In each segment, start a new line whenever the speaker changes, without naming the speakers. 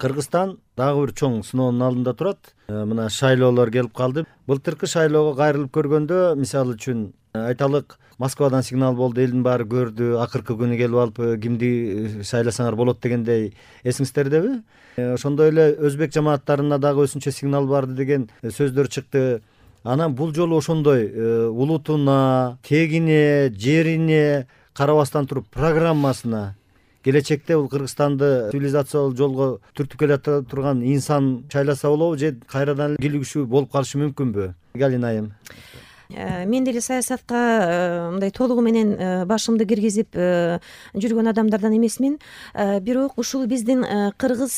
Кыргызстан дагы бир чоң сыноонун алдында турат. Мына шайлоолор келип калды. Былтыркы шайлоого кайрылып көргөндө, мисалы үчүн айталык, Москвадан сигнал болду, элдин баары көрдү, акыркы күнү келип алып кимди шайласаңар болот дегендей, эсиңиздердеби? Ошондой эле өзбек жамааттарына дагы өзүнчө сигнал барды деген сөздөр чыкты. Анан бул жолу ошондой улутуна, тегине, жерине карабастан туруп программасына келечекте бул Кыргызстанды цивилизациялык жолго түртүп келе турган инсан шайласа болобу, же кайрадан килигүчү болуп калышы мүмкүнбү? Галина айым.
Мен деле саясатка мындай толугу менен башымды киргизип жүргөн адамдардан эмесмин. Бирок ушул биздин кыргыз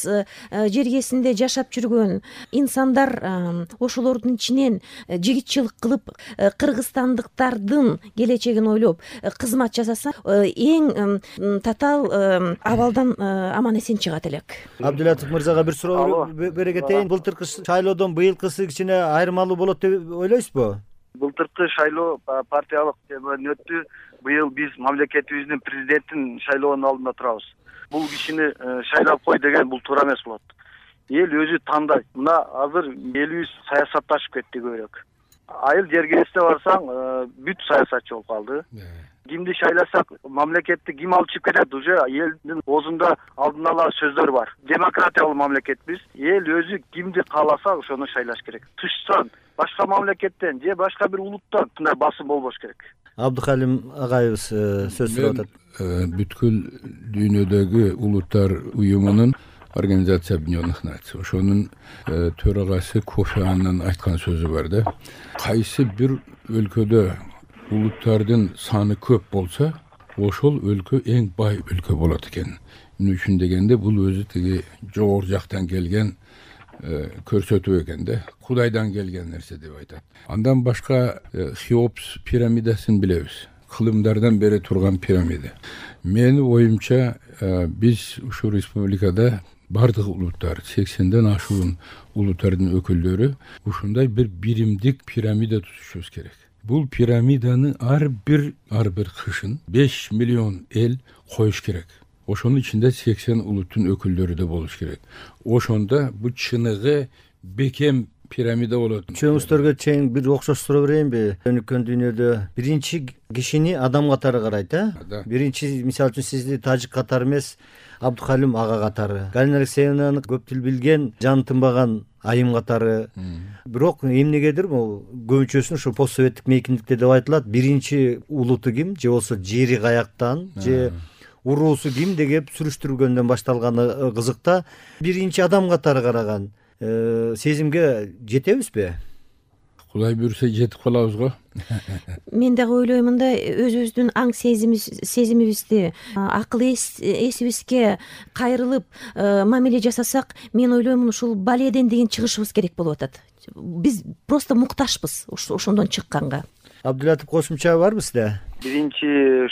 жергесинде жашап жүргөн инсандар ошолордун ичинен жигитчилик кылып, кыргызстандыктардын келечегин ойлоп кызмат жасаса, эң татаал абалдан аман эсен чыгат элек.
Абдулатов мырзага бир суроо бере кетейин. Былтыркы шайлоодон быйылкысы кичине айырмалуу болот деп ойлойсузбу?
Былтыркы шайлоо партиялык темадан өттү. Быйыл биз мамлекетибиздин президентин шайлоонун алдында турабыз. Бул кишини шайлап кой деген бул туура эмес болот. Эл өзү тандайт. Мына азыр элибиз саясатташып кетти көбүрөөк. Айыл жергесине барсаң, бүт саясатчы болуп калды. Кимди шайласак, мамлекетти ким алып чыгып кетет, уже элдин оозунда алдын ала сөздөр бар. Демократиялык мамлекетпиз. Эл өзү кимди кааласа ошону шайлаш керек. Тышсан, башка мамлекеттен же башка бир улуттан мындай басым болбош керек.
Абдухалим агайыбыз сөз сурап атат.
Бүткүл дүйнөдөгү улуттар уюмунун Организация Объединенных Наций, ошонун төрагасы Кофи Аннан айткан сөзү бар да. Кайсы бир өлкөдө улуттардын саны көп болсо, ошол өлкө эң бай өлкө болот экен. Эмне үчүн дегенде, бул өзү тиги жогору жактан келген көрсөтүү экен да. Кудайдан келген нерсе деп айтат. Андан башка Хеопс пирамидасын билебиз. Кылымдардан бери турган пирамида. Менин оюмча, биз ушул республикада бардык улуттар, 80ден ашуун улуттардын өкүлдөрү ушундай бир биримдик пирамида тузушубуз керек. Бул пирамиданы ар бир кышын 5 миллион эл коюш керек. Ошонун ичинде 80 улуттун өкүлдөрү да болуш керек. Ошондо бул чыныгы бекем пирамида болот.
Чөңүздөргө чейин бир окшош суроо берейинби? Өнүккөн дүйнөдө биринчи кишини адам катары карайт, Биринчи, мисалы үчүн, сизди тажик катары эмес, Абдухалим ага катары. Галина Алексеевнаны көп тил билген, жан тынбаган айым катары. Бирок эмнегедир могу көбүнчөсүн ушу постсоветтик мейкиндикте деп айтылат. Биринчи улуту ким, же болбосо жери каяктан, же уруусу ким деп сүрүштүргөндөн башталганы кызыкта. Биринчи адам катары караган сезимге жетебизби?
Кудай буйруса жетип калабыз го.
Мен дагы ойлоймун да, өзүбүздүн аң сезимибизди, акыл эсибизге кайрылып мамиле жасасак, мен ойлоймун ушул баледен деген чыгышыбыз керек болуп атат. Биз просто мукташпыз ошондон чыкканга.
Абдулатып кошумча барбы сизде?
Биринчи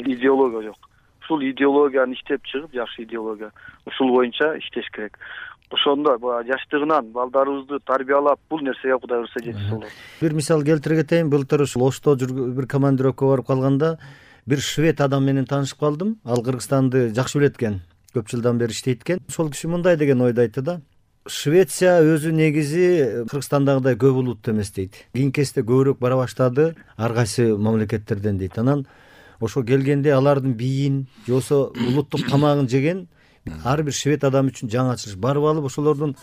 идеология жок. Ушул идеологияны иштеп чыгып, жакшы идеология, ушул боюнча иштеш керек. Ошондо жаштыгынан балдарыбызды тарбиялап, бул нерсеге Кудай буйруса жетип болот.
Бир мисал келтире кетейин. Былтыр Ошто бир командировка барып калганда бир швед адам менен таанышып калдым. Ал Кыргызстанды жакшы билет экен. Көп жылдан бери иштейт экен. Ошол киши мындай деген ойду айтты да. Швеция өзү негизи Кыргызстандагыдай көп улуттуу эмес дейт. Кийинки кезде көбүрөөк бара баштады ар кайсы мамлекеттерден дейт. Анан ошо келгенде алардын бийин, же болбосо улуттук тамагын жеген ар бир швед адам үчүн жаңы ачылыш. Барып алып ошолордун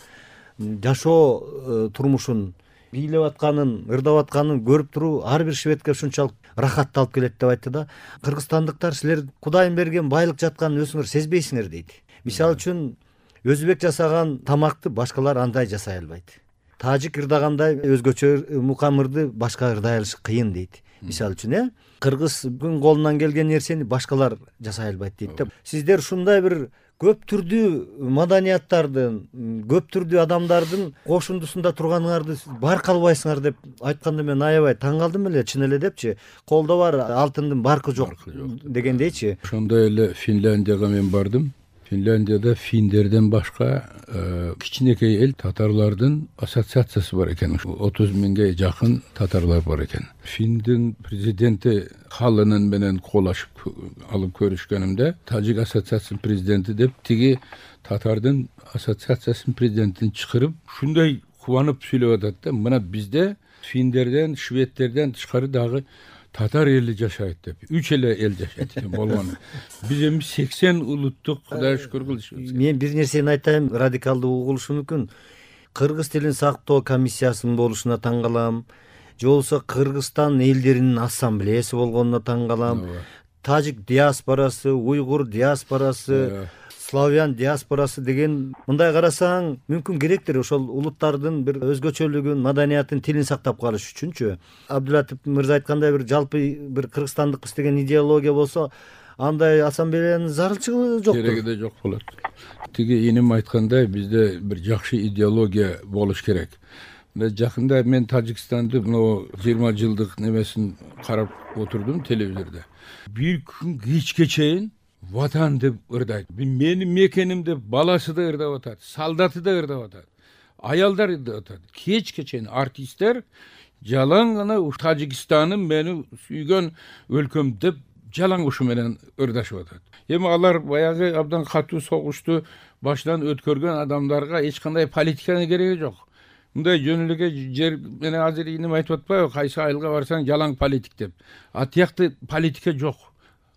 жашоо турмушун, бийлеп атканын, ырдап атканын көрүп туруу ар бир шведке ушунчалык рахатты алып келет деп айтты да. Кыргызстандыктар, силер Кудайдын берген байлык жатканын өзүңөр сезбейсиңер дейт. Мисалы үчүн, өзбек жасаган тамакты башкалар андай жасай албайт. Тажик ырдагандай өзгөчө мукамырды башка ырдай алыш кыйын дейт. Мисалы үчүн, кыргыздын колунан келген нерсени башкалар жасай албайт дейт да. Сиздер ушундай бир көп түрдүү маданияттардын, көп түрдүү адамдардын кошундусунда турганыңарды байкалбайсыңар деп айтканда мен аябай таң калдым эле, чын эле депчи. Колдо бар алтындын баркы жок дегендейчи.
Ошондой эле Финляндияга мен бардым. Finlandiyada Finlerden başka kiçinekey el Tatarlardın asosiatsiyasi var eken. 30 mingge jakın Tatarlar var eken. Findin prezidenti halının menen kolaşıp alıp görüşkenimde Tacik asosiatsiyasının prezidenti dep tigi Tatardın asosiatsiyasının prezidentini çıkarıp şunday kuvanıp söylep atat da mına bizde Finlerden, Şvedlerden çıkarı dağı Tatar eli jaşayt dep. 3 ele el jaşayt eкен болгону. Биз эми 80 улуттук Кудайга шүкүр кылышыбыз.
Мен бир нерсени айтайын, радикалдуу угулушу мүмкүн. Кыргыз тилин сактоо комиссиясынын болушуна таң калам. Же болбосо Кыргызстан элдеринин ассамблеясы болгонуна таң калам. Тажик диаспорасы, уйгур диаспорасы, славян диаспорасы деген мындай карасаң мүмкүн керектир ошол улуттардын бир өзгөчөлүгүн, маданиятын, тилин сактап калыш үчүнчү. Абдулатип мырза айткандай бир жалпы бир кыргызстандыкпыз деген идеология болсо андай ассамблеянын зарылчылыгы жок.
Кереги да жок болот. Тиги иним айткандай бизде бир жакшы идеология болуш керек. Жакында мен Тажикстанды 20 жылдык немесин карап отурдум телевизордо. Bir gün kечке чейин ватан деп ырдайт. Менин мекеним деп баласы да ырдап атат, солдаты да ырдап атат, аялдар ырдап атат. Кечке чейин артисттер жалаң гана Тажикстандын мени сүйгөн өлкөм деп жалаң ушу менен ырдашып атат. Эми алар баягы абдан катуу согушту башынан өткөргөн адамдарга эч кандай политиканын кереги жок. Мындай жөнүлүгө жер менен азыр инем айтып атпайбы, кайсы айылга барсаң жалаң политик деп. Атыякты политика жок.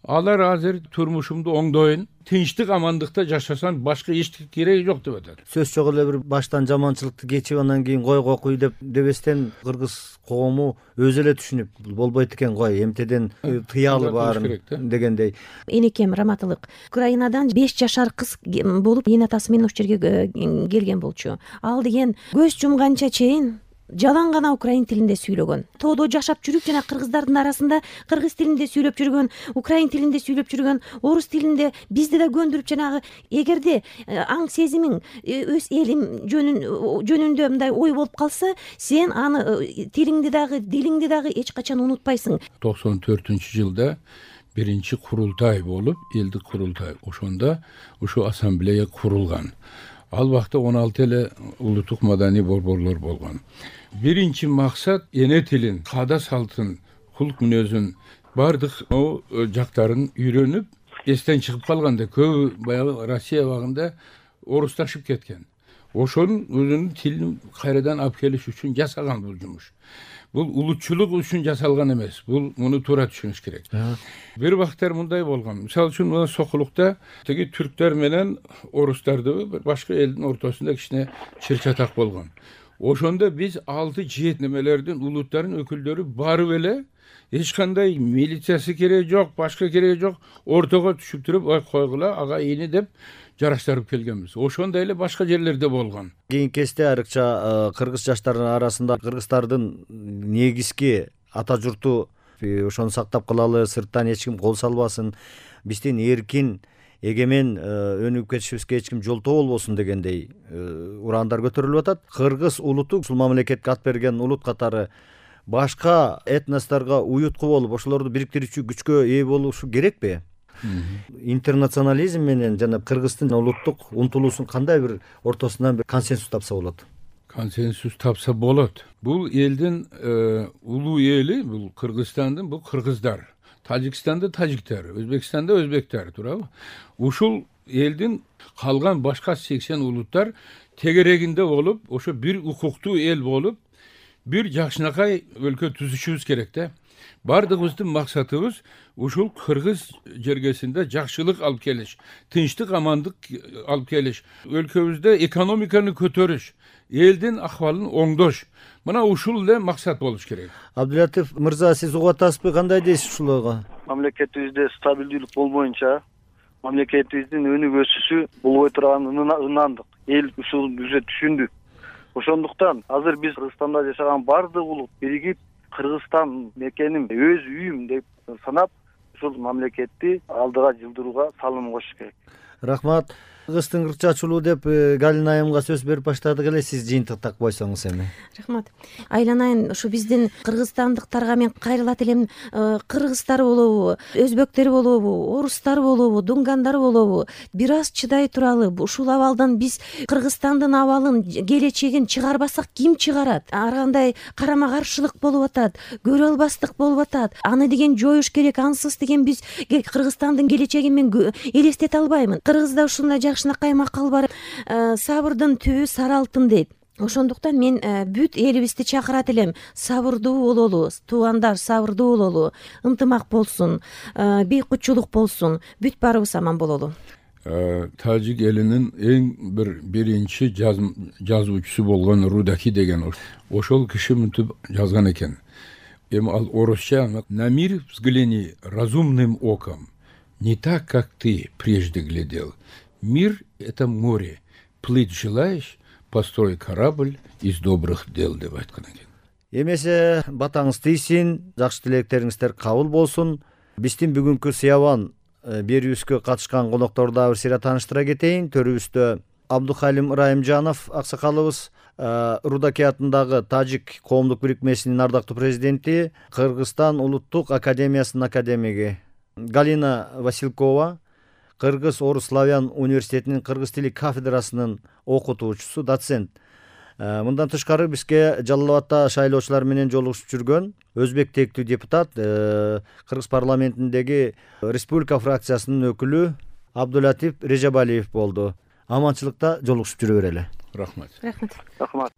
Алар азыр турмушумду оңдойын, тынчтык амандыкта жашасам башка эчтеке кереги жок деп атат.
Сөз жок эле бир баштан жаманчылыкты кечип анан кийин койго куй деп дебестен кыргыз коому өзү эле түшүнүп болбойт экен кой, эмтеден тыялы бар дегендей.
Энекем Раматылык Украинадан 5 жашар кыз болуп эне атасы менен ошол жерге келген болчу. Ал деген көз жумганча чейин жалаң гана украин тилинде сүйлөгөн. Тоодо жашап жүрүп жана кыргыздардын арасында кыргыз тилинде сүйлөп жүргөн, украин тилинде сүйлөп жүргөн, орус тилинде бизди да көндүрүп жанагы эгерде аң сезимиң өз элим жөнүндө мындай ой болуп калса, сен аны тилиңди дагы, дилиңди дагы эч качан унутпайсың.
94-жылда биринчи курултай болуп, элдик курултай. Ошондо ушу ассамблея курулган. Ал вакытта 16 эле улуттук маданий борборлор болгон. Биринчи максат эне тилин, каада салтын, кулк мүнөзүн бардык жактарын үйрөнүп, эстен чыгып калганда көбү баягы Россия багында орусташып кеткен. Ошонун өзүнүн тилин кайрадан алып келиш үчүн жасаган бул жумуш. Бул улутчулук үчүн жасалган эмес. Бул муну туура түшүнүш керек. Бир вакыттар мындай болгон. Мисалы үчүн мына Сокулукта теги түрктөр менен орустарды бир башка элдин ортосунда кичине чыр-чатак болгон. Ошондо биз 6-7 немелердин улуттарын өкүлдөрү барып эле эч кандай милициясы кереги жок, башка кереги жок, ортого түшүп туруп, ой койгула, ага ийни деп жараштырып келгенбиз. Ошондой эле башка жерлерде болгон.
Кийинки кезде айрыкча кыргыз жаштарынын арасында кыргыздардын негизги ата журту ошону сактап калалы, сырттан эч ким кол салбасын, биздин эркин эгемен өнүгүп кетишибизге эч ким жолтоо болбосун дегендей ураандар көтөрүлүп атат. Кыргыз улуту ушул мамлекетке ат берген улут катары башка этносторго уютку болуп, ошолорду бириктирүүчү күчкө ээ болушу керекпи? Интернационализм менен жана кыргыздын улуттук умтулуусун кандай бир ортосунан бир консенсус тапса болот?
Консенсус тапса болот. Бул элдин улуу эли, бул Кыргызстандын, бул кыргыздар. Тажикстанда тажиктер, Өзбекстанда өзбектер, туурабы? Ушул элдин калган башка 80 улуттар тегерегинде болуп, ошо бир укуктуу эл болуп, бир жакшынакай өлкө түзүшүбүз керек да. Бардыгыбыздын максатыбыз ушул кыргыз жергесинде жакшылык алып келиш, тынчтык, амандык алып келиш, өлкөбүздө экономиканы көтөрүш, элдин акыбалын оңдош. Мына ушул эле максат болуш керек.
Абдулатип мырза, сиз угуп атасызбы, кандай дейсиз ушуларга?
Мамлекетибизде стабилдүүлүк болбоюнча мамлекетибиздин өнүк өсүшү болбой турганына ынандык. Эл ушул өзү түшүндү. Ошондуктан азыр биз Кыргызстанда жашаган бардык улут биригип Кыргызстан мекеним, өз үйүм деп санап, ушул мамлекетти алдыга жылдырууга салым кошуш керек.
Рахмат. кыргыздын кырк чачуулу деп Галина айымга сөз берип баштадык эле, сиз жыйынтыктап койсоңуз эми.
Рахмат. Айланайын ушу биздин кыргызстандыктарга мен кайрылат элем. Кыргыздар болобу, өзбөктөр болобу, орустар болобу, дунгандары болобу, бир аз чыдай туралы. Ушул абалдан биз Кыргызстандын абалын, келечегин чыгарбасак ким чыгарат? Ар кандай карама каршылык болуп атат, көрө албастык болуп атат. Аны деген жоюш керек. Ансыз деген биз Кыргызстандын келечегин мен элестете албаймын. Кыргызда ушундай жакшынакай макал бар. Сабырдын түбү сары алтын дейт. Ошондуктан мен бүт элибизди чакырат элем. Сабырдуу бололу, туугандар, сабырдуу бололу, ынтымак болсун, бейкутчулук болсун, бүт баарыбыз аман бололу.
Тажик элинин эң бир биринчи жазуучусу болгон Рудаки деген ошол киши мынтип жазган экен. Эми ал орусча: на мир взгляни разумным оком, не так, как ты прежде глядел. Мир — это море. Плыть желаешь, построй корабль из добрых дел, деп айткан экен.
Эмесе батаңыз тийсин, жакшы тилектериңиздер кабыл болсун. Биздин бүгүнкү Сыябан берүүбүзгө катышкан конокторду дагы бир сыйра тааныштыра кетейин. Төрүбүздө Абдухалим Ырайымжанов аксакалыбыз, Рудаки атындагы Тажик коомдук бирикмесинин ардактуу президенти, Кыргызстан улуттук академиясынын академиги Галина Василкова, Кыргыз Орус Славян университетинин кыргыз тили кафедрасынын окутуучусу, доцент. Мындан тышкары бизге Жалал Абадта шайлоочулар менен жолугушуп жүргөн өзбек тектүү депутат, Кыргыз парламентиндеги республика фракциясынын өкүлү Абдулатип Режабалиев болду. Аманчылыкта жолугушуп жүрө берели.
Рахмат.
Рахмат.
Рахмат.